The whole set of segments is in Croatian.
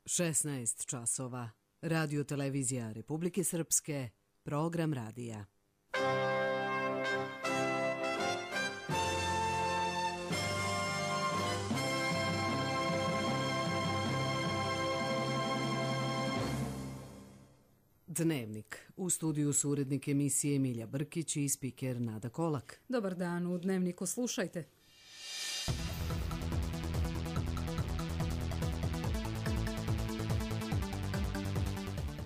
16 časova. Radio televizija Republike Srpske, program radija. Dnevnik. U studiju su urednik emisije Emilija Brkić i spiker Nada Kolak. Dobar dan, u Dnevniku slušajte.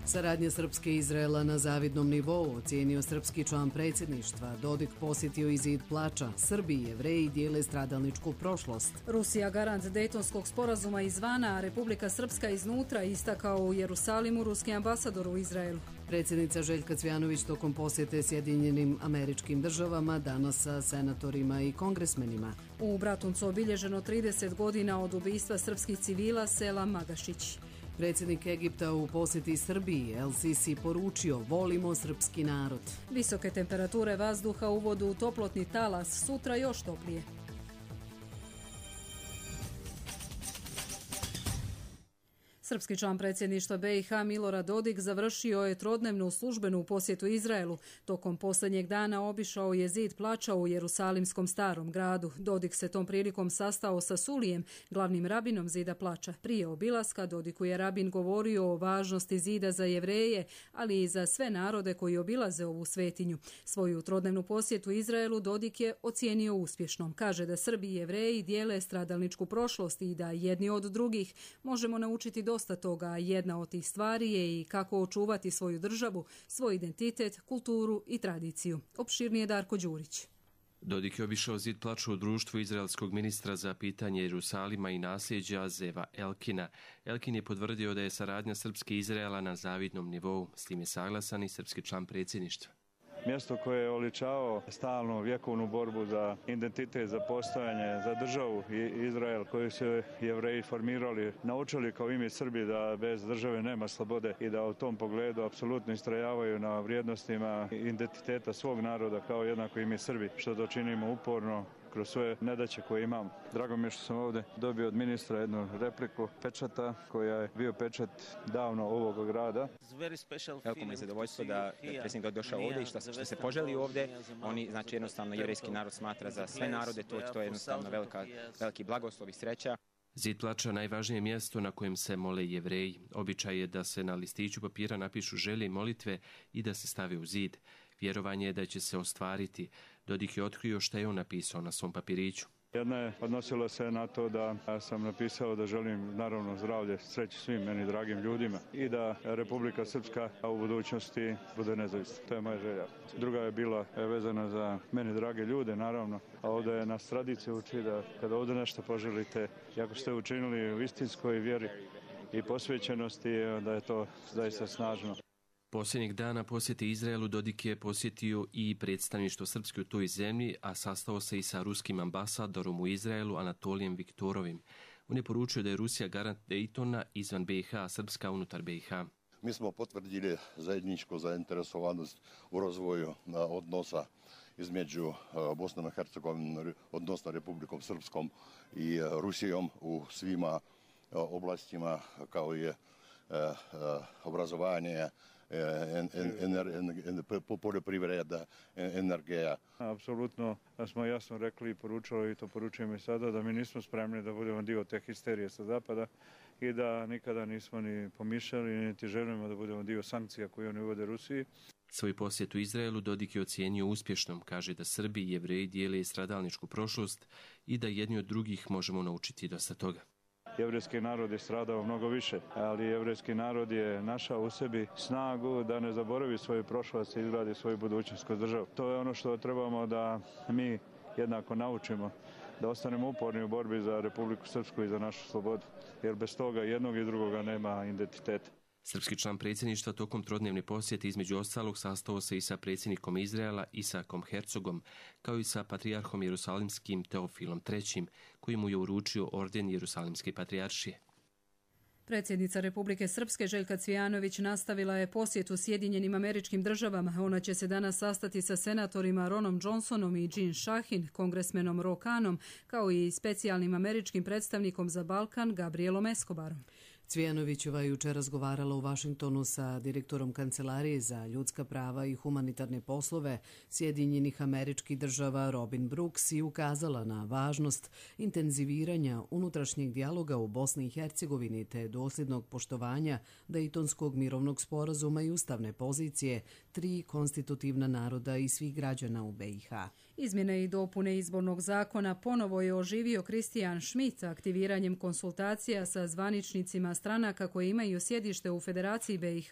Saradnja Srpske i Izraela na zavidnom nivou, ocijenio srpski član predsjedništva. Dodik posjetio i zid plača. Srbi i Jevreji dijele stradalničku prošlost. Rusija garant Dejtonskog sporazuma izvana, a Republika Srpska iznutra, istakao u Jerusalimu ruski ambasador u Izraelu. Predsjednica Željka Cvjanović tokom posjete Sjedinjenim Američkim Državama danas sa senatorima i kongresmenima. U Bratuncu obilježeno 30 godina od ubistva srpskih civila sela Magašić. Predsjednik Egipta u posjeti Srbiji El Sisi poručio: volimo srpski narod. Visoke temperature vazduha uvodu u toplotni talas, sutra još toplije. Srpski član predsjedništva BiH Milorad Dodik završio je trodnevnu službenu posjetu Izraelu. Tokom posljednjeg dana obišao je zid plača u Jerusalimskom starom gradu. Dodik se tom prilikom sastao sa Sulijem, glavnim rabinom zida plača. Prije obilaska Dodiku je rabin govorio o važnosti zida za Jevreje, ali i za sve narode koji obilaze ovu svetinju. Svoju trodnevnu posjetu Izraelu Dodik je ocijenio uspješnom. Kaže da Srbi i Jevreji dijele stradalničku prošlost i da jedni od drugih možemo naučiti dosta toga. Jedna od tih stvari je i kako očuvati svoju državu, svoj identitet, kulturu i tradiciju. Opširnije Darko Đurić. Dodik je obišao zid plača u društvu izraelskog ministra za pitanje Jerusalima i nasljeđa Zeva Elkina. Elkin je potvrdio da je saradnja Srpske i Izraela na zavidnom nivou. S tim je saglasan i srpski član predsjedništva. Mjesto koje je oličavao stalnu vjekovnu borbu za identitet, za postojanje, za državu i Izrael koju su Jevreji formirali, naučili kao i mi Srbi da bez države nema slobode i da u tom pogledu apsolutno istrajavaju na vrijednostima identiteta svog naroda kao jednako i mi Srbi, što to činimo uporno kroz sve nedaće koje imam. Drago mi je što sam ovdje dobio od ministra jednu repliku pečata koja je bio pečat davno ovog grada. Veliko mi je zadovoljstvo da predsjednik došao ovdje i što se poželi ovdje. Oni, znači jednostavno jevrijski narod smatra za sve narode, to je jednostavno veliki blagoslov i sreća. Zid plača najvažnije mjesto na kojem se mole Jevreji. Običaj je da se na listiću papira napišu želje i molitve i da se stave u zid. Vjerovanje je da će se ostvariti. Dodik je otkrio šta je on napisao na svom papiriću. Jedna je odnosila se na to da sam napisao da želim naravno zdravlje, sreću svim meni dragim ljudima i da Republika Srpska u budućnosti bude nezavisna. To je moja želja. Druga je bila vezana za meni drage ljude, naravno, a ovdje je nas tradicija uči da kada ovdje nešto poželite, jako ste učinili u istinskoj vjeri i posvećenosti, da je to zaista snažno. Posljednjeg dana posjete Izraelu Dodik je posjetio i predstavništvo Srpske u toj zemlji, a sastao se i sa ruskim ambasadorom u Izraelu Anatolijem Viktorovim. On je poručio da je Rusija garant Dejtona izvan BiH, a Srpska unutar BiH. Mi smo potvrdili zajedničku zainteresovanost u razvoju odnosa između Bosne i Hercegovine, odnosno Republikom Srpskom i Rusijom u svima oblastima kao je obrazovanje, poljoprivreda, energija. Apsolutno smo jasno rekli i poručili, i to poručujemo i sada, da mi nismo spremni da budemo dio te histerije sa zapada i da nikada nismo ni pomišljali, niti želimo da budemo dio sankcija koje oni uvode Rusiji. Svoj posjet u Izraelu Dodik je ocijenio uspješnom. Kaže da Srbi i Jevreji dijele stradalničku prošlost i da jedni od drugih možemo naučiti dosta toga. Jevrejski narod je stradao mnogo više, ali jevrejski narod je našao u sebi snagu da ne zaboravi svoju prošlost i izgradi svoju budućnost kroz državu. To je ono što trebamo da mi jednako naučimo, da ostanemo uporni u borbi za Republiku Srpsku i za našu slobodu, jer bez toga jednog i drugoga nema identiteta. Srpski član predsjedništva tokom trodnevne posjete između ostalog sastao se i sa predsjednikom Izraela Isakom Herzogom, kao i sa patrijarhom Jerusalimskim Teofilom III, koji mu je uručio orden Jerusalimske patrijaršije. Predsjednica Republike Srpske Željka Cvjanović nastavila je posjetu Sjedinjenim Američkim Državama. Ona će se danas sastati sa senatorima Ronom Johnsonom i Jean Shahin, kongresmenom Ro Khanom, kao i specijalnim američkim predstavnikom za Balkan Gabrielom Escobarom. Cvijanovićeva je jučer razgovarala u Vašingtonu sa direktorom Kancelarije za ljudska prava i humanitarne poslove Sjedinjenih Američkih Država Robin Brooks i ukazala na važnost intenziviranja unutrašnjeg dijaloga u Bosni i Hercegovini te dosljednog poštovanja Dejtonskog mirovnog sporazuma i ustavne pozicije 3 konstitutivna naroda i svih građana u BiH. Izmjene i dopune izbornog zakona ponovo je oživio Christian Schmidt aktiviranjem konsultacija sa zvaničnicima stranaka koje imaju sjedište u Federaciji BiH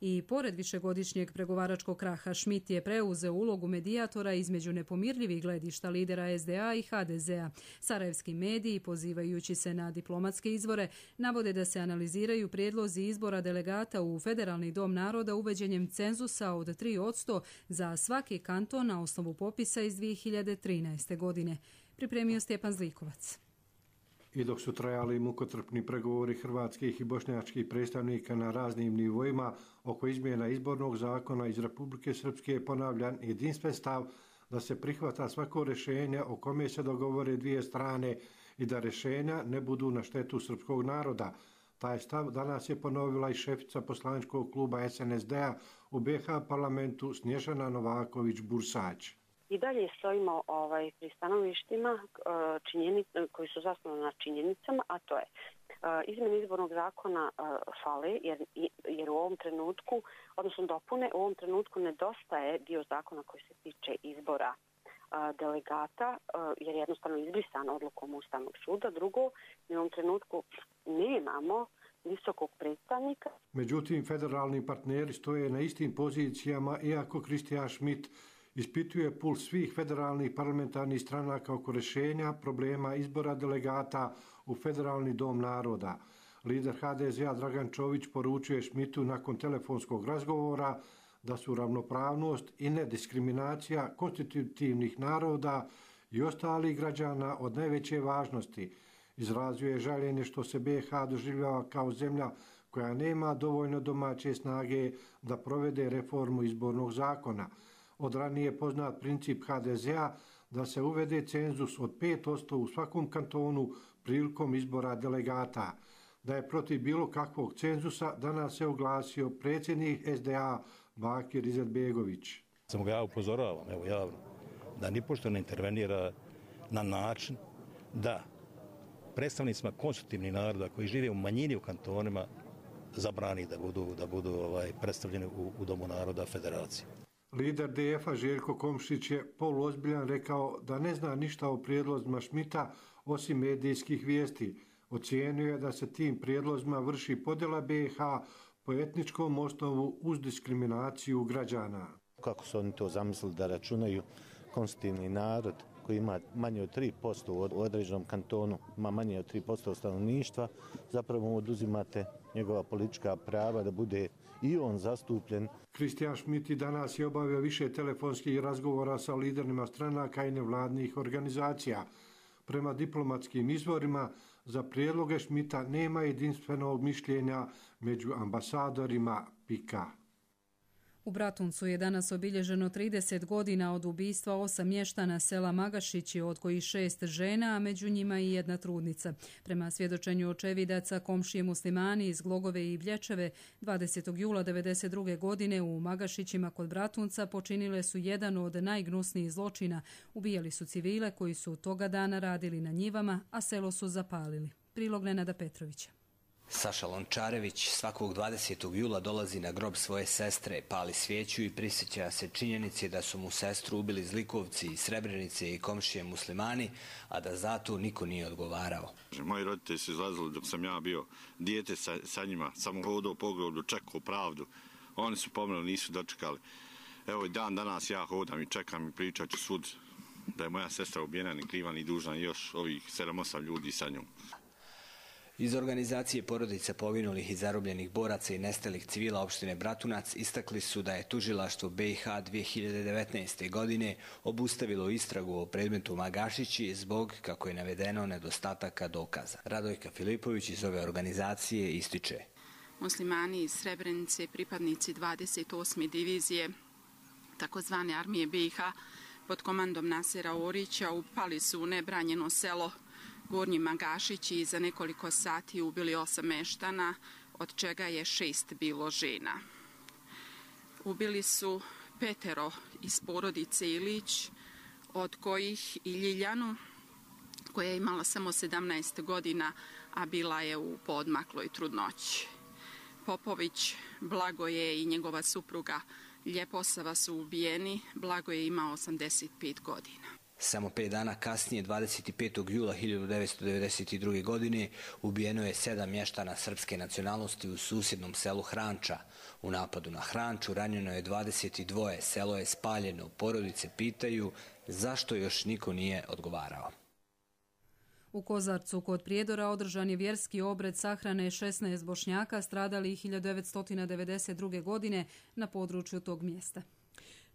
i pored višegodišnjeg pregovaračkog kraha Schmidt je preuzeo ulogu medijatora između nepomirljivih gledišta lidera SDA i HDZ-a. Sarajevski mediji, pozivajući se na diplomatske izvore, navode da se analiziraju prijedlozi izbora delegata u Federalni dom naroda uvođenjem cenzusa od 3% za svaki kanton na osnovu popisa iz 2013. godine. Pripremio Stjepan Zlikovac. I dok su trajali mukotrpni pregovori hrvatskih i bošnjačkih predstavnika na raznim nivoima oko izmjena izbornog zakona, iz Republike Srpske je ponavljan jedinstven stav da se prihvata svako rješenje o kome se dogovore dvije strane i da rješenja ne budu na štetu srpskog naroda. Taj stav danas je ponovila i šefica poslaničkog kluba SNSD-a u BiH parlamentu Snježana Novaković-Bursać. I dalje stojimo pri stanovištima koji su zasnovani na činjenicama, a to je izmjene izbornog zakona fale jer u ovom trenutku, odnosno dopune, u ovom trenutku nedostaje dio zakona koji se tiče izbora delegata, jer je jednostavno izbrisan odlukom Ustavnog suda. Drugo, u ovom trenutku nemamo visokog predstavnika. Međutim, federalni partneri stoje na istim pozicijama, iako Christian Schmidt ispituje puls svih federalnih parlamentarnih stranaka oko rješenja problema izbora delegata u Federalni dom naroda. Lider HDZ-a Dragan Čović poručuje Schmidtu nakon telefonskog razgovora da su ravnopravnost i nediskriminacija konstitutivnih naroda i ostalih građana od najveće važnosti. Izrazio je žaljenje što se BiH doživljava kao zemlja koja nema dovoljno domaće snage da provede reformu izbornog zakona. Od ranije poznat princip HDZ-a da se uvede cenzus od 5% u svakom kantonu prilikom izbora delegata. Da je protiv bilo kakvog cenzusa danas se oglasio predsjednik SDA Bakir Izetbegović. Samo ga ja upozoravam, evo javno, da nipošto ne intervenira na način da predstavnicima konstitutivnih naroda koji žive u manjini u kantonima zabrani da budu predstavljeni u Domu naroda Federacije. Lider DF-a Željko Komšić je poluozbiljan rekao da ne zna ništa o prijedlozima Schmidta osim medijskih vijesti. Ocijenio je da se tim prijedlozima vrši podjela BiH po etničkom osnovu uz diskriminaciju građana. Kako su oni to zamislili da računaju konstitutivni narod koji ima manje od 3% u određenom kantonu, ima manje od 3% stanovništva, zapravo oduzimate njegova politička prava da bude i on zastupljen. Christian Schmidt i danas je obavio više telefonskih razgovora sa liderima stranaka i nevladnih organizacija. Prema diplomatskim izvorima, za prijedloge Schmidta nema jedinstvenog mišljenja među ambasadorima PIK-a. U Bratuncu je danas obilježeno 30 godina od ubistva 8 mještana sela Magašići, od kojih 6 žena, a među njima i jedna trudnica. Prema svjedočenju očevidaca, komšije muslimani iz Glogove i Blječeve 20. jula 1992. godine u Magašićima kod Bratunca počinile su jedan od najgnusnijih zločina. Ubijali su civile koji su toga dana radili na njivama, a selo su zapalili. Prilog Nenada Petrovića. Saša Lončarević svakog 20. jula dolazi na grob svoje sestre, pali svijeću i prisjeća se činjenici da su mu sestru ubili zlikovci iz Srebrenice i komšije muslimani, a da zato niko nije odgovarao. Moji roditelji su izlazili dok sam ja bio dijete sa njima, samo hodao po groblju, čekao pravdu. Oni su pomrli, nisu dočekali. Evo i dan danas ja hodam i čekam i pričat ću sud da je moja sestra ubijena, ni kriva ni dužna, i još ovih 7-8 ljudi sa njom. Iz organizacije porodica poginulih i zarobljenih boraca i nestalih civila opštine Bratunac istakli su da je tužilaštvo BiH 2019. godine obustavilo istragu o predmetu Magašići zbog, kako je navedeno, nedostataka dokaza. Radojka Filipović iz ove organizacije ističe: Muslimani iz Srebrenice, pripadnici 28. divizije takozvane armije BiH pod komandom Nasera Orića upali su u nebranjeno selo Gornji Magašići i za nekoliko sati ubili 8 meštana, od čega je 6 bilo žena. Ubili su 5 iz porodice Ilić, od kojih i Ljiljanu, koja je imala samo 17 godina, a bila je u poodmakloj trudnoći. Popović, Blagoje i njegova supruga Ljeposava su ubijeni. Blagoje je imao 85 godina. Samo 5 dana kasnije, 25. jula 1992. godine, ubijeno je 7 mještana srpske nacionalnosti u susjednom selu Hranča. U napadu na Hranču ranjeno je 22, selo je spaljeno. Porodice pitaju zašto još niko nije odgovarao. U Kozarcu kod Prijedora održan je vjerski obred sahrane 16 Bošnjaka stradalih 1992. godine na području tog mjesta.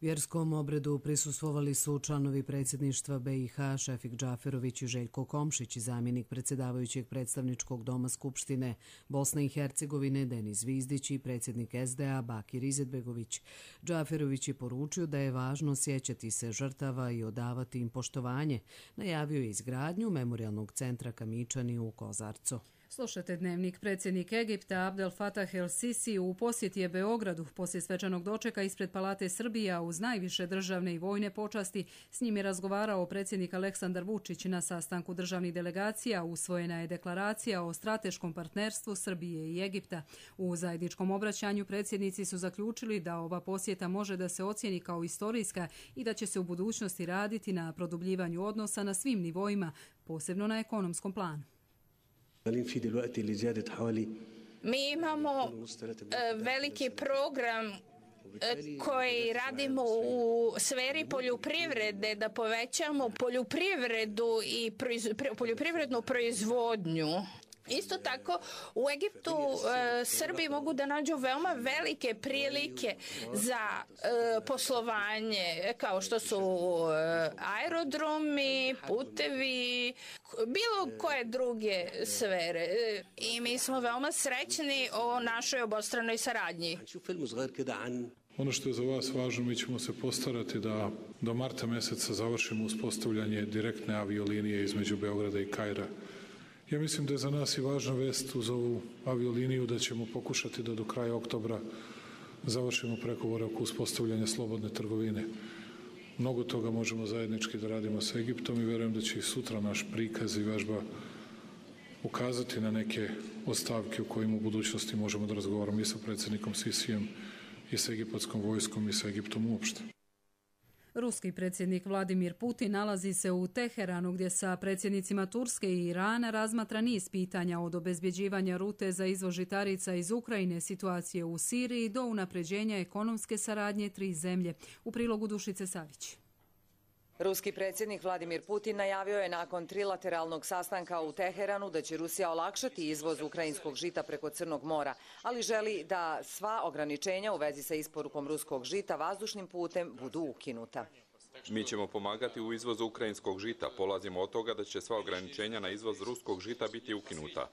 Vjerskom obredu prisustvovali su članovi predsjedništva BiH Šefik Džaferović i Željko Komšić, zamjenik predsjedavajućeg predstavničkog doma Skupštine Bosne i Hercegovine Denis Zvizdić i predsjednik SDA Bakir Izetbegović. Džaferović je poručio da je važno sjećati se žrtava i odavati im poštovanje. Najavio je izgradnju memorijalnog centra Kamičani u Kozarcu. Slušajte dnevnik. Predsjednik Egipta Abdel Fattah el-Sisi u posjeti je Beogradu poslije svečanog dočeka ispred Palate Srbija uz najviše državne i vojne počasti. S njim je razgovarao predsjednik Aleksandar Vučić. Na sastanku državnih delegacija usvojena je deklaracija o strateškom partnerstvu Srbije i Egipta. U zajedničkom obraćanju predsjednici su zaključili da ova posjeta može da se ocijeni kao istorijska i da će se u budućnosti raditi na produbljivanju odnosa na svim nivoima, posebno na ekonomskom planu. Mi imamo veliki program koji radimo u sferi poljoprivrede, da povećamo poljoprivredu i poljoprivrednu proizvodnju. Isto tako, u Egiptu Srbi mogu da nađu veoma velike prilike za poslovanje, kao što su aerodromi, putevi, bilo koje druge sfere. I mi smo veoma srećni o našoj obostranoj saradnji. Ono što je za vas važno, mi ćemo se postarati da do marta mjeseca završimo uspostavljanje direktne aviolinije između Beograda i Kaira. Ja mislim da je za nas i važna vest uz ovu avioliniju da ćemo pokušati da do kraja oktobra završimo pregovore oko uspostavljanja slobodne trgovine. Mnogo toga možemo zajednički da radimo sa Egiptom i vjerujem da će i sutra naš prikaz i vežba ukazati na neke od stavke u kojima u budućnosti možemo da razgovaramo i sa predsjednikom Sisijem i sa egipatskom vojskom i sa Egiptom uopšte. Ruski predsjednik Vladimir Putin nalazi se u Teheranu gdje sa predsjednicima Turske i Irana razmatra niz pitanja od obezbjeđivanja rute za izvoz žitarica iz Ukrajine, situacije u Siriji do unapređenja ekonomske saradnje 3 zemlje. U prilogu Dušice Savić. Ruski predsjednik Vladimir Putin najavio je nakon trilateralnog sastanka u Teheranu da će Rusija olakšati izvoz ukrajinskog žita preko Crnog mora, ali želi da sva ograničenja u vezi sa isporukom ruskog žita vazdušnim putem budu ukinuta. Mi ćemo pomagati u izvozu ukrajinskog žita. Polazimo od toga da će sva ograničenja na izvoz ruskog žita biti ukinuta.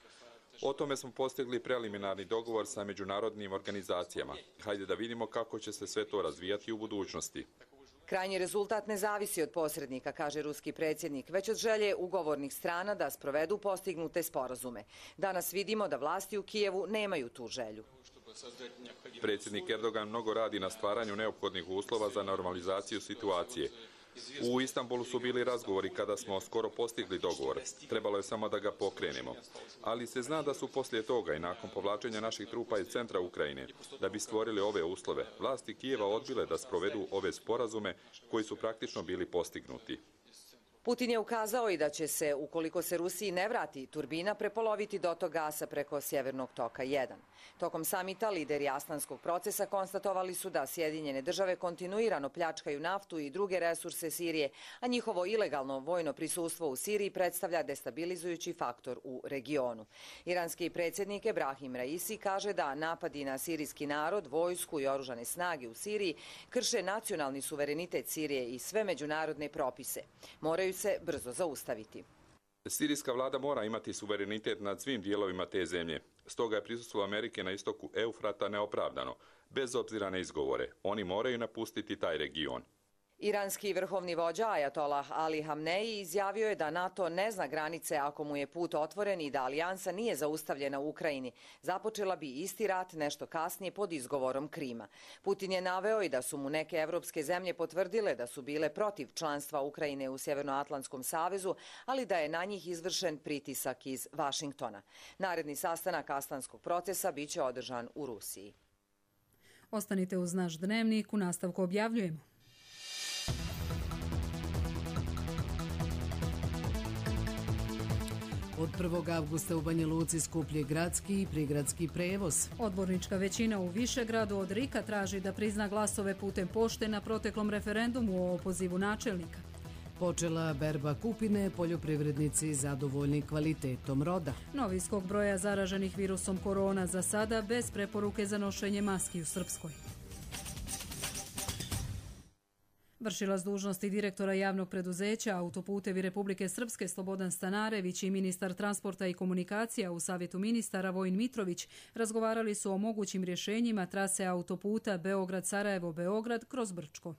O tome smo postigli preliminarni dogovor sa međunarodnim organizacijama. Hajde da vidimo kako će se sve to razvijati u budućnosti. Krajnji rezultat ne zavisi od posrednika, kaže ruski predsjednik, već od želje ugovornih strana da sprovedu postignute sporazume. Danas vidimo da vlasti u Kijevu nemaju tu želju. Predsjednik Erdogan mnogo radi na stvaranju neophodnih uslova za normalizaciju situacije. U Istanbulu su bili razgovori kada smo skoro postigli dogovor. Trebalo je samo da ga pokrenemo. Ali se zna da su poslije toga i nakon povlačenja naših trupa iz centra Ukrajine, da bi stvorili ove uslove, vlasti Kijeva odbile da sprovedu ove sporazume koji su praktično bili postignuti. Putin je ukazao i da će se, ukoliko se Rusiji ne vrati turbina, prepoloviti dotok gasa preko Sjevernog toka 1. Tokom samita lideri Astanskog procesa konstatovali su da Sjedinjene države kontinuirano pljačkaju naftu i druge resurse Sirije, a njihovo ilegalno vojno prisustvo u Siriji predstavlja destabilizujući faktor u regionu. Iranski predsjednik Ebrahim Raisi kaže da napadi na sirijski narod, vojsku i oružane snage u Siriji krše nacionalni suverenitet Sirije i sve međunarodne propise. Moraju se brzo zaustaviti. Sirijska vlada mora imati suverenitet nad svim dijelovima te zemlje. Stoga je prisustvo Amerike na istoku Eufrata neopravdano, bez obzira na izgovore. Oni moraju napustiti taj region. Iranski vrhovni vođa Ajatolah Ali Hamneji izjavio je da NATO ne zna granice ako mu je put otvoren i da alijansa nije zaustavljena u Ukrajini. Započela bi isti rat nešto kasnije pod izgovorom Krima. Putin je naveo i da su mu neke evropske zemlje potvrdile da su bile protiv članstva Ukrajine u Sjevernoatlantskom savezu, ali da je na njih izvršen pritisak iz Vašingtona. Naredni sastanak Astanskog procesa biće održan u Rusiji. Ostanite uz naš dnevnik, u nastavku objavljujemo. Od 1. avgusta u Banja Luci skuplje gradski i prigradski prevoz. Odbornička većina u Višegradu od RIK-a traži da prizna glasove putem pošte na proteklom referendumu o opozivu načelnika. Počela berba kupine, poljoprivrednici zadovoljni kvalitetom roda. Novi skok broja zaraženih virusom korona za sada bez preporuke za nošenje maski u Srpskoj. Vršilac dužnosti direktora javnog preduzeća Autoputevi Republike Srpske Slobodan Stanarević i ministar transporta i komunikacija u Savjetu ministara Vojin Mitrović razgovarali su o mogućim rješenjima trase autoputa Beograd-Sarajevo-Beograd kroz Brčko.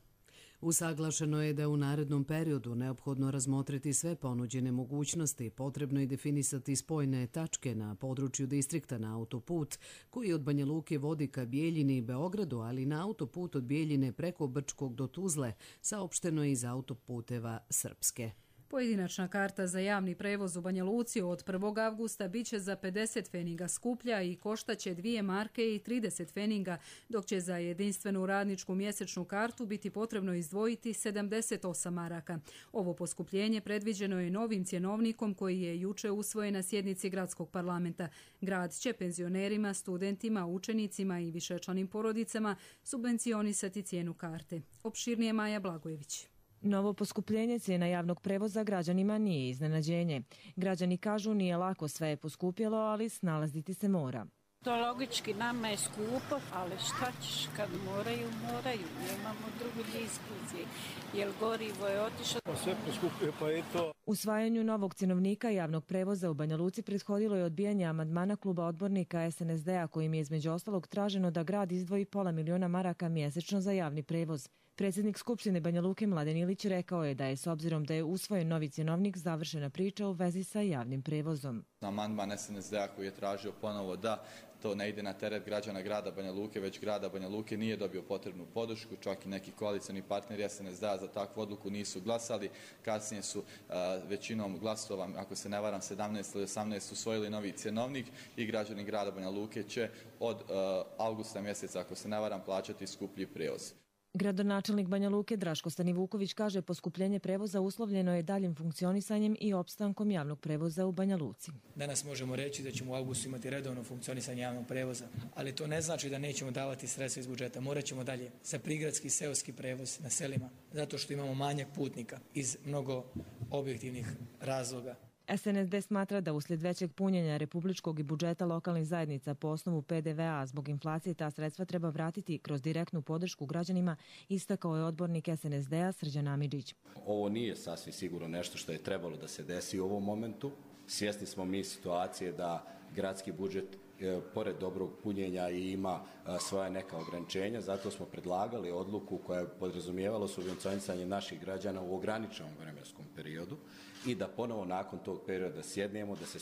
Usaglašeno je da u narednom periodu neophodno razmotriti sve ponuđene mogućnosti, potrebno je definisati spojne tačke na području distrikta na autoput, koji od Banja Luke vodi ka Bijeljini i Beogradu, ali na autoput od Bijeljine preko Brčkog do Tuzle, saopšteno je iz Autoputeva Srpske. Pojedinačna karta za javni prevoz u Banja Luci od 1. avgusta biće za 50 feninga skuplja i koštaće 2 marke i 30 feninga, dok će za jedinstvenu radničku mjesečnu kartu biti potrebno izdvojiti 78 maraka. Ovo poskupljenje predviđeno je novim cjenovnikom koji je juče usvojen na sjednici gradskog parlamenta. Grad će penzionerima, studentima, učenicima i višečlanim porodicama subvencionisati cijenu karte. Opširnije Maja Blagojević. Novo poskupljenje cijena javnog prevoza građanima nije iznenađenje. Građani kažu nije lako, sve je poskupjelo, ali snalaziti se mora. To logički nama je skupo, ali šta ćeš kad moraju, nemamo drugu diskusiju, jer gorivo je otišlo. Sve poskupljuje, pa je to. Usvajanju novog cjenovnika javnog prevoza u Banja Luci prethodilo je odbijanje amandmana kluba odbornika SNSD-a kojim je između ostalog traženo da grad izdvoji $500.000 maraka mjesečno za javni prevoz. Predsjednik Skupštine Banja Luke Mladen Ilić rekao je da je s obzirom da je usvojen novi cjenovnik završena priča u vezi sa javnim prevozom. Amandman SNSD-a koji je tražio ponovo da to ne ide na teret građana grada Banja Luke, već grada Banja Luke nije dobio potrebnu podršku, čak i neki koalicioni partneri SNSD-a za takvu odluku nisu glasali. Kasnije su većinom glasova, ako se ne varam 17 ili 18, usvojili novi cjenovnik i građani grada Banja Luke će od avgusta mjeseca, ako se ne varam, plaćati skuplji prevoz. Gradonačelnik Banja Luke Draško Stanivuković kaže poskupljenje prevoza uslovljeno je daljim funkcionisanjem i opstankom javnog prevoza u Banja Luci. Danas možemo reći da ćemo u avgustu imati redovno funkcionisanje javnog prevoza, ali to ne znači da nećemo davati sredstva iz budžeta. Morat ćemo dalje za prigradski seoski prevoz na selima, zato što imamo manjak putnika iz mnogo objektivnih razloga. SNSD smatra da uslijed većeg punjenja republičkog i budžeta lokalnih zajednica po osnovu PDV-a zbog inflacije ta sredstva treba vratiti kroz direktnu podršku građanima, istakao je odbornik SNSD-a Srđan Amidžić. Ovo nije sasvim sigurno nešto što je trebalo da se desi u ovom momentu. Svjesni smo mi situacije da gradski budžet pored dobrog punjenja i ima svoja neka ograničenja, zato smo predlagali odluku koja je podrazumijevalo subvencionisanje naših građana u ograničenom vremenskom periodu i da ponovo nakon tog perioda sjednemo, da se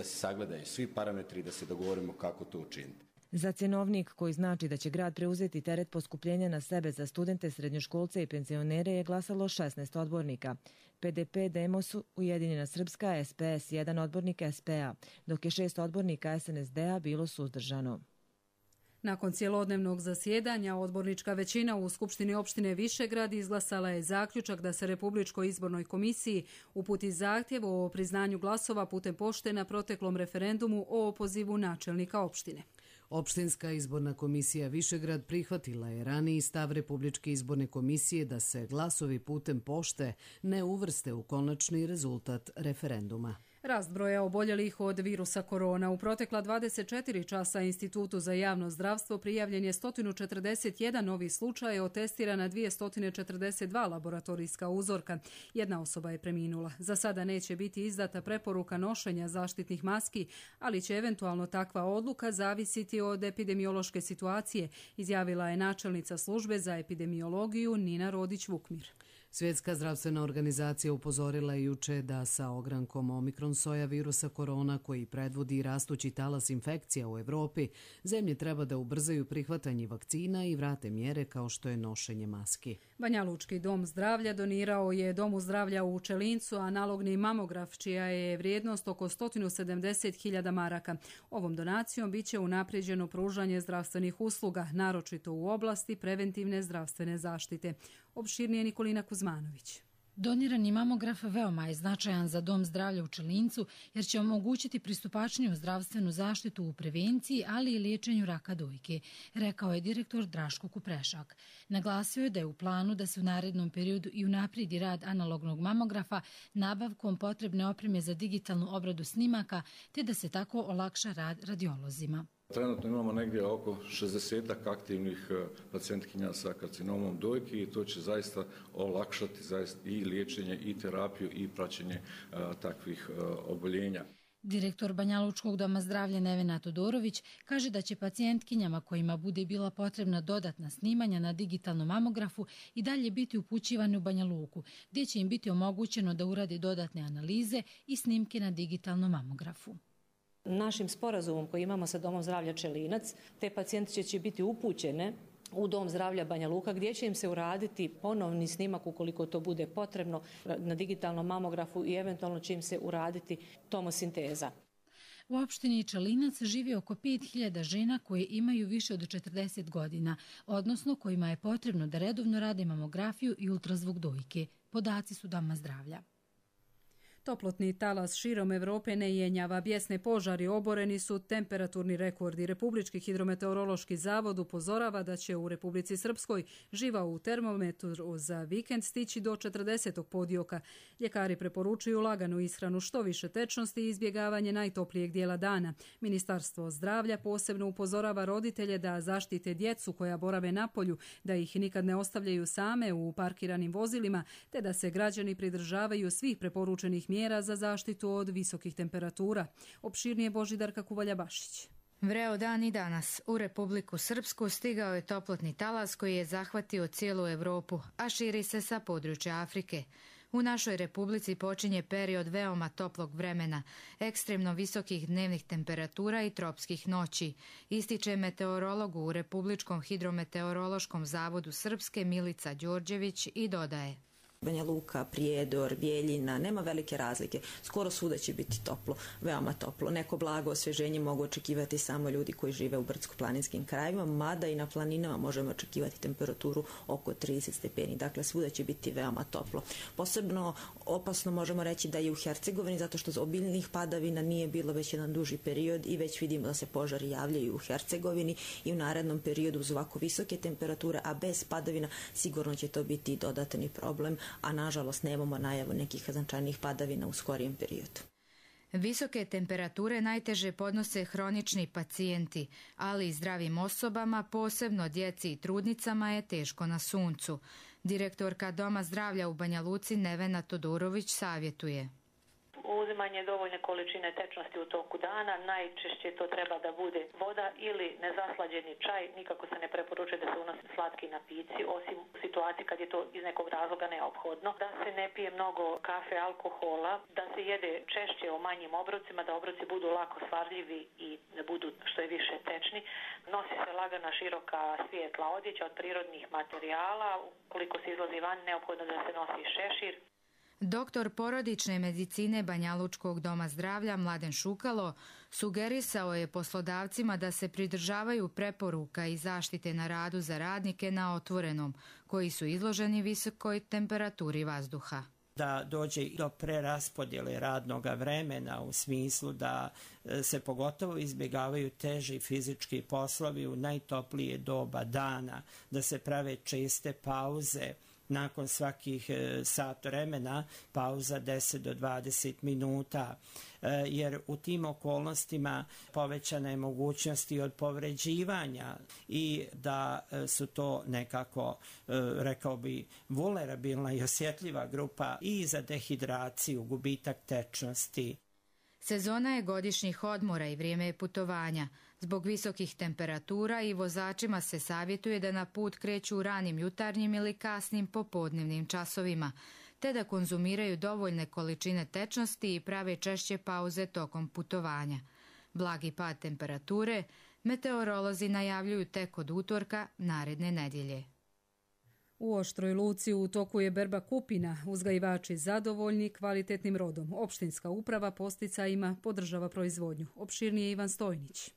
sagledaju svi parametri i da se dogovorimo kako to učiniti. Za cjenovnik koji znači da će grad preuzeti teret poskupljenja na sebe za studente, srednjoškolce i penzionere je glasalo 16 odbornika. PDP, Demos, Ujedinjena Srpska, SPS, 1 odbornik SPA, dok je 6 odbornika SNSD-a bilo suzdržano. Nakon cjelodnevnog zasjedanja, odbornička većina u Skupštini opštine Višegrad izglasala je zaključak da se Republičkoj izbornoj komisiji uputi zahtjev o priznanju glasova putem pošte na proteklom referendumu o opozivu načelnika opštine. Opštinska izborna komisija Višegrad prihvatila je raniji stav Republičke izborne komisije da se glasovi putem pošte ne uvrste u konačni rezultat referenduma. Rast broja oboljelih od virusa korona. U protekla 24 časa Institutu za javno zdravstvo prijavljen je 141 novi slučaj, otestirana 242 laboratorijska uzorka. Jedna osoba je preminula. Za sada neće biti izdata preporuka nošenja zaštitnih maski, ali će eventualno takva odluka zavisiti od epidemiološke situacije, izjavila je načelnica službe za epidemiologiju Nina Rodić-Vukmir. Svjetska zdravstvena organizacija upozorila je juče da sa ogrankom omikron soja virusa korona koji predvodi rastući talas infekcija u Evropi, zemlje treba da ubrzaju prihvatanje vakcina i vrate mjere kao što je nošenje maski. Banjalučki dom zdravlja donirao je Domu zdravlja u Čelincu analogni mamograf, čija je vrijednost oko 170.000 maraka. Ovom donacijom biće unaprijeđeno pružanje zdravstvenih usluga, naročito u oblasti preventivne zdravstvene zaštite. Opširnije Nikolina Kuzmanović. Donirani mamograf veoma je značajan za Dom zdravlja u Čelincu jer će omogućiti pristupačniju zdravstvenu zaštitu u prevenciji, ali i liječenju raka dojke, rekao je direktor Draško Kuprešak. Naglasio je da je u planu da se u narednom periodu i unaprijedi rad analognog mamografa nabavkom potrebne opreme za digitalnu obradu snimaka, te da se tako olakša rad radiolozima. Trenutno imamo negdje oko 60 aktivnih pacijentkinja sa karcinomom dojke i to će zaista olakšati i liječenje i terapiju i praćenje takvih oboljenja. Direktor Banjalučkog doma zdravlja Nevena Todorović kaže da će pacijentkinjama kojima bude bila potrebna dodatna snimanja na digitalnom mamografu i dalje biti upućivane u Banja Luku, gdje će im biti omogućeno da urade dodatne analize i snimke na digitalnom mamografu. Našim sporazumom koji imamo sa Domom zdravlja Čelinac, te pacijenti će biti upućene u Dom zdravlja Banja Luka gdje će im se uraditi ponovni snimak ukoliko to bude potrebno na digitalnom mamografu i eventualno će im se uraditi tomosinteza. U opštini Čelinac živi oko 5.000 žena koje imaju više od 40 godina, odnosno kojima je potrebno da redovno rade mamografiju i ultrazvuk dojke. Podaci su Doma zdravlja. Toplotni talas širom Evrope ne jenjava. Bijesne požari oboreni su temperaturni rekordi. Republički hidrometeorološki zavod upozorava da će u Republici Srpskoj živa u termometru za vikend stići do 40. podioka. Ljekari preporučuju laganu ishranu, što više tečnosti i izbjegavanje najtoplijeg dijela dana. Ministarstvo zdravlja posebno upozorava roditelje da zaštite djecu koja borave napolju, da ih nikad ne ostavljaju same u parkiranim vozilima, te da se građani pridržavaju svih preporučenih mjera za zaštitu od visokih temperatura. Opširnije Božidarka Kuvalja-Bašić. Vreo dan i danas u Republiku Srpsku stigao je toplotni talas koji je zahvatio cijelu Evropu, a širi se sa područja Afrike. U našoj republici počinje period veoma toplog vremena, ekstremno visokih dnevnih temperatura i tropskih noći, ističe meteorolog u Republičkom hidrometeorološkom zavodu Srpske Milica Đorđević i dodaje: Banja Luka, Prijedor, Bjeljina, nema velike razlike. Skoro svuda će biti toplo, veoma toplo. Neko blago osvježenje mogu očekivati samo ljudi koji žive u brdsko-planinskim krajevima, mada i na planinama možemo očekivati temperaturu oko 30 stepeni. Dakle, svuda će biti veoma toplo. Posebno opasno možemo reći da je u Hercegovini, zato što obiljnih padavina nije bilo već jedan duži period i već vidimo da se požari javljaju u Hercegovini i u narednom periodu uz ovako visoke temperature, a bez padavina sigurno će to biti dodatni problem, a nažalost nemamo najavu nekih značajnih padavina u skorijem periodu. Visoke temperature najteže podnose hronični pacijenti, ali i zdravim osobama, posebno djeci i trudnicama, je teško na suncu. Direktorka Doma zdravlja u Banja Luci Nevena Todorović savjetuje: uzimanje dovoljne količine tečnosti u toku dana, najčešće to treba da bude voda ili nezaslađeni čaj, nikako se ne preporučuje da se unose slatki napici, osim u situaciji kad je to iz nekog razloga neophodno, da se ne pije mnogo kafe, alkohola, da se jede češće o manjim obrocima, da obroci budu lako svarljivi i da budu što je više tečni, nosi se lagana široka svijetla odjeća od prirodnih materijala, ukoliko se izlazi van neophodno da se nosi šešir. Doktor porodične medicine Banjalučkog doma zdravlja Mladen Šukalo sugerisao je poslodavcima da se pridržavaju preporuka i zaštite na radu za radnike na otvorenom, koji su izloženi visokoj temperaturi vazduha. Da dođe do preraspodjele radnog vremena u smislu da se pogotovo izbjegavaju teži fizički poslovi u najtoplije doba dana, da se prave česte pauze nakon svakih sat vremena pauza 10 do 20 minuta, jer u tim okolnostima povećana je mogućnost i od povređivanja i da su to nekako, rekao bi, vulnerabilna i osjetljiva grupa i za dehidraciju, gubitak tečnosti. Sezona je godišnjih odmora i vrijeme je putovanja. Zbog visokih temperatura i vozačima se savjetuje da na put kreću u ranim jutarnjim ili kasnim popodnevnim časovima, te da konzumiraju dovoljne količine tečnosti i prave češće pauze tokom putovanja. Blagi pad temperature meteorolozi najavljuju tek od utorka naredne nedjelje. U Oštroj Luci u toku je berba kupina, uzgajivači zadovoljni kvalitetnim rodom. Opštinska uprava posticajima podržava proizvodnju. Opširnije Ivan Stojnić.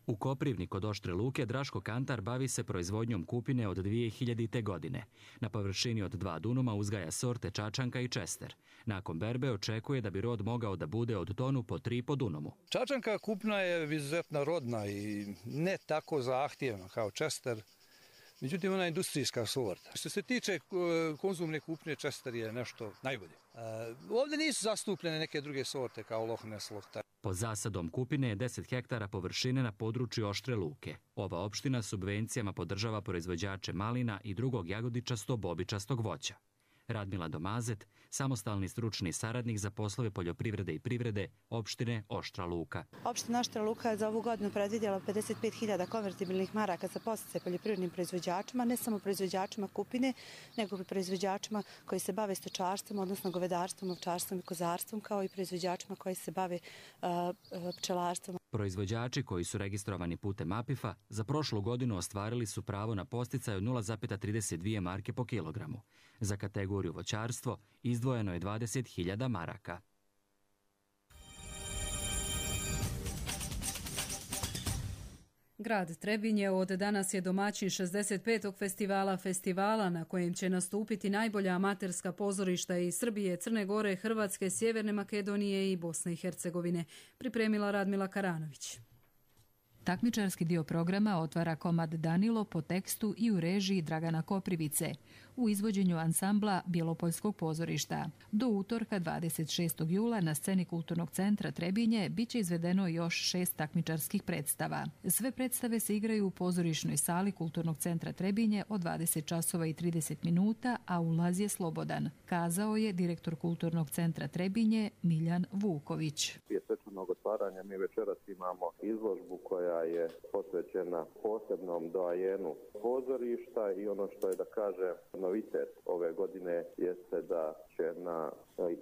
U Koprivni kod Oštre Luke Draško Kantar bavi se proizvodnjom kupine od 2000. godine. Na površini od 2 dunuma uzgaja sorte Čačanka i Čester. Nakon berbe očekuje da bi rod mogao da bude od tonu po 3 po dunumu. Čačanka kupna je izuzetno rodna i ne tako zahtjevna kao Čester. Međutim, ona je industrijska sorta. Što se tiče konzumne kupnje, Čester je nešto najbolje. Ovdje nisu zastupljene neke druge sorte kao Loch Ness, Loch Tyne. Pod zasadom kupine je 10 hektara površine na području Oštre Luke. Ova opština subvencijama podržava proizvođače malina i drugog jagodičasto-bobičastog voća. Radmila Domazet, samostalni stručni saradnik za poslove poljoprivrede i privrede opštine Oštra Luka. Opština Oštra Luka je za ovu godinu predvidjela 55.000 konvertibilnih maraka za podsticaje poljoprivrednim proizvođačima, ne samo proizvođačima kupine, nego i proizvođačima koji se bave stočarstvom, odnosno govedarstvom, ovčarstvom i kozarstvom, kao i proizvođačima koji se bave pčelarstvom. Proizvođači koji su registrovani putem APIF-a za prošlu godinu ostvarili su pravo na podsticaj od 0,32 marke po kilogramu. Za kategoriju voćarstvo izdvojeno je 20.000 maraka. Grad Trebinje od danas je domaćin 65. festivala na kojem će nastupiti najbolja amaterska pozorišta iz Srbije, Crne Gore, Hrvatske, Sjeverne Makedonije i Bosne i Hercegovine, pripremila Radmila Karanović. Takmičarski dio programa otvara komad Danilo po tekstu i u režiji Dragana Koprivice u izvođenju ansambla Bjelopoljskog pozorišta. Do utorka 26. jula na sceni Kulturnog centra Trebinje biće izvedeno još 6 takmičarskih predstava. Sve predstave se igraju u pozorišnoj sali Kulturnog centra Trebinje od 20 časova i 30 minuta, a ulaz je slobodan, kazao je direktor Kulturnog centra Trebinje Miljan Vuković. Prije svečanog otvaranja mi večeras imamo izložbu koja je posvećena posebnom doajenu pozorišta i ono što je, da kažem, novitet ove godine jeste da će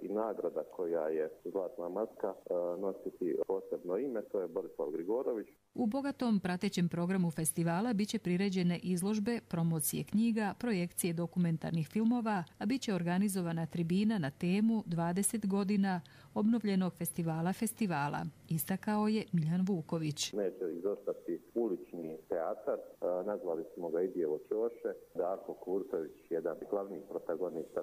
i nagrada koja je Zlatna maska nositi posebno ime, to je Borislav Grigorović. U bogatom pratećem programu festivala biće priređene izložbe, promocije knjiga, projekcije dokumentarnih filmova, a biće organizovana tribina na temu 20 godina obnovljenog festivala, istakao je Miljan Vuković. Neće izostati ulični teatar, nazvali smo ga Idijevo Ćoše. Darko Kurtović, jedan glavni protagonista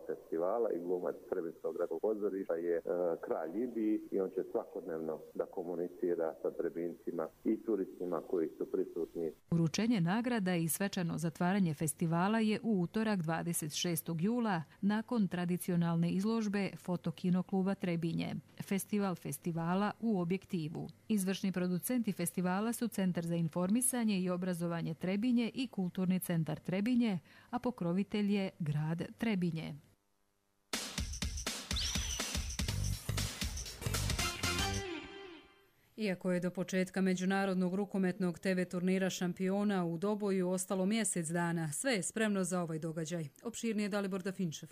festivala i glumac Trebinskog gradskog pozorišta, je kralj Ibiji i on će svakodnevno da komunicira sa Trebincima i turistima koji su prisutni. Uručenje nagrada i svečano zatvaranje festivala je u utorak 26. jula nakon tradicionalne izložbe Fotokino kluba Trebinje. Festival festivala u objektivu. Izvršni producenti festivala su Centar za informisanje i obrazovanje Trebinje i Kulturni centar Trebinje, a pokrovitelj je grad Trebinje. Iako je do početka međunarodnog rukometnog TV turnira šampiona u Doboju ostalo mjesec dana, sve je spremno za ovaj događaj. Opširnije Dalibor Dafinčev.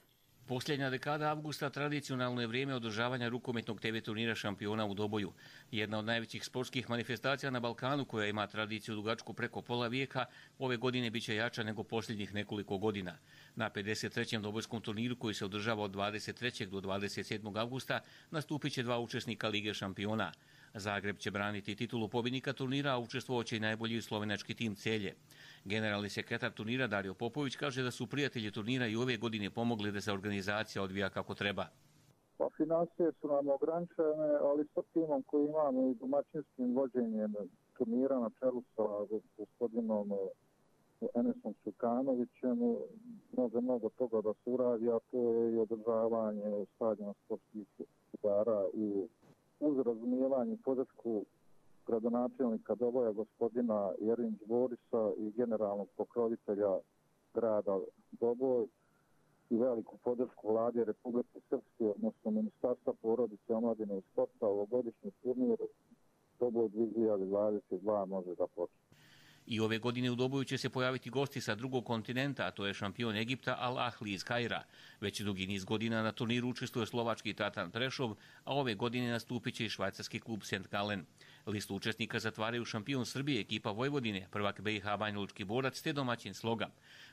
Posljednja dekada avgusta tradicionalno je vrijeme održavanja rukometnog TV turnira šampiona u Doboju. Jedna od najvećih sportskih manifestacija na Balkanu, koja ima tradiciju dugačku preko pola vijeka, ove godine biće jača nego posljednjih nekoliko godina. Na 53. dobojskom turniru, koji se održava od 23. do 27. avgusta, nastupit će 2 učesnika Lige šampiona. Zagreb će braniti titulu pobjednika turnira, a učestvovaće i najbolji slovenački tim Celje. Generalni sekretar turnira Dario Popović kaže da su prijatelji turnira i ove godine pomogli da se organizacija odvija kako treba. Pa financije su nam ograničene, ali sa timom koji imamo i domaćinskim vođenjem turnira na čelu sa gospodinom Enesom Čukanovićem, mnogo toga da se uradi, a to je i održavanje stadiona sportskih igara i uz razumijevanje i podršku gradonačelnika Doboja gospodina Jerinč Borisa i generalnog pokrovitelja grada Doboj i veliku podršku vlade Republike Srpske, odnosno Ministarstva porodice, omladine i sporta, ovogodišnji turnir Doboj 2022 može da počne. I ove godine u Doboju će se pojaviti gosti sa drugog kontinenta, a to je šampion Egipta Al Ahli iz Kaira. Već dugi niz godina na turniru učestvuje slovački Tatan Prešov, a ove godine nastupit će i švajcarski klub St. Gallen. Listu učesnika zatvaraju šampion Srbije, ekipa Vojvodine, prvak BiH Banjalučki Borac te domaćin Sloga.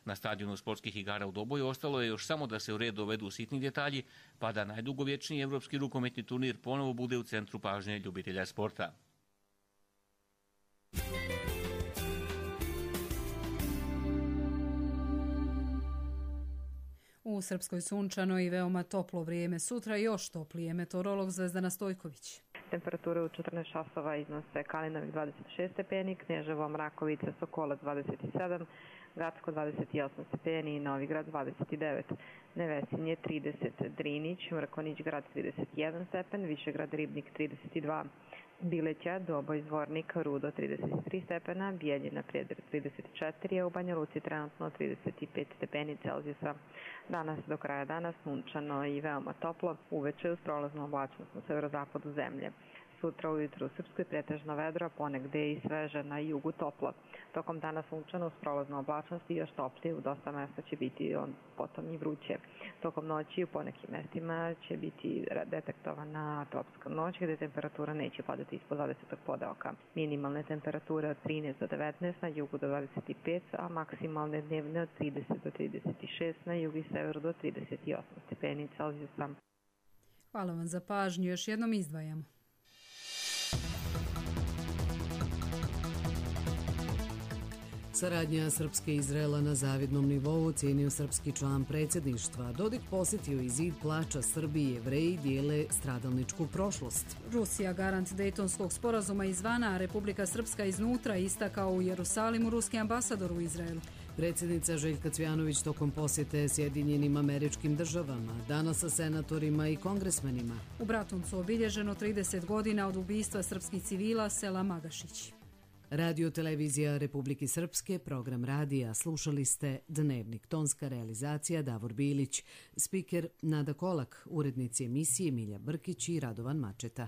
Na stadionu sportskih igara u Doboju ostalo je još samo da se u red dovedu sitni detalji, pa da najdugovječniji evropski rukometni turnir ponovo bude u centru pažnje ljubitelja sporta. U Srpskoj sunčano i veoma toplo vrijeme. Sutra još toplije. Meteorolog Zvezdana Stojković. Temperature u 14 časova iznose Kalinovik 26 stepeni, Kneževo, Mrakovica, Sokolac 27, Gacko 28 stepeni i Novigrad 29, Nevesinje 30, Drinić, Mrkonić grad 31 stepen, Višegrad Ribnik 32, Bileća, Doboj, Zvornik, Rudo 33 stepena, Bijeljina, Prijedor 34, a u Banja Luci trenutno 35 stepeni Celzijusa. Danas do kraja dana sunčano i veoma toplo, uveče uz prolaznu oblačnost na severozapadu zemlje. Sutra ujutru u Srpskoj pretežno vedro, ponegde i sveže, na jugu toplo. Tokom dana sunčano uz prolaznu oblačnost i još toplije, u dosta mesta će biti potom i vruće. Tokom noći u ponekim mestima će biti detektovana tropska noć, gde temperatura neće padati ispod 20. podeoka. Minimalne temperature od 13 do 19, na jugu do 25, a maksimalne dnevne od 30 do 36, na jugu i severu do 38 stepeni Celzijusa. Hvala vam za pažnju. Još jednom izdvajamo. Saradnja Srpske i Izraela na zavidnom nivou cijenio srpski član predsjedništva. Dodik posjetio i zid plača Srbiji i Jevreji dijele stradalničku prošlost. Rusija garant Dejtonskog sporazuma izvana, a Republika Srpska iznutra, istakao u Jerusalimu ruski ambasador u Izraelu. Predsjednica Željka Cvjanović tokom posjete Sjedinjenim Američkim Državama, danas sa senatorima i kongresmenima. U Bratuncu obilježeno 30 godina od ubistva srpskih civila sela Magašić. Radio televizija Republike Srpske, program radija, slušali ste Dnevnik, tonska realizacija Davor Bilić, spiker Nada Kolak, urednici emisije Milja Brkić i Radovan Mačeta.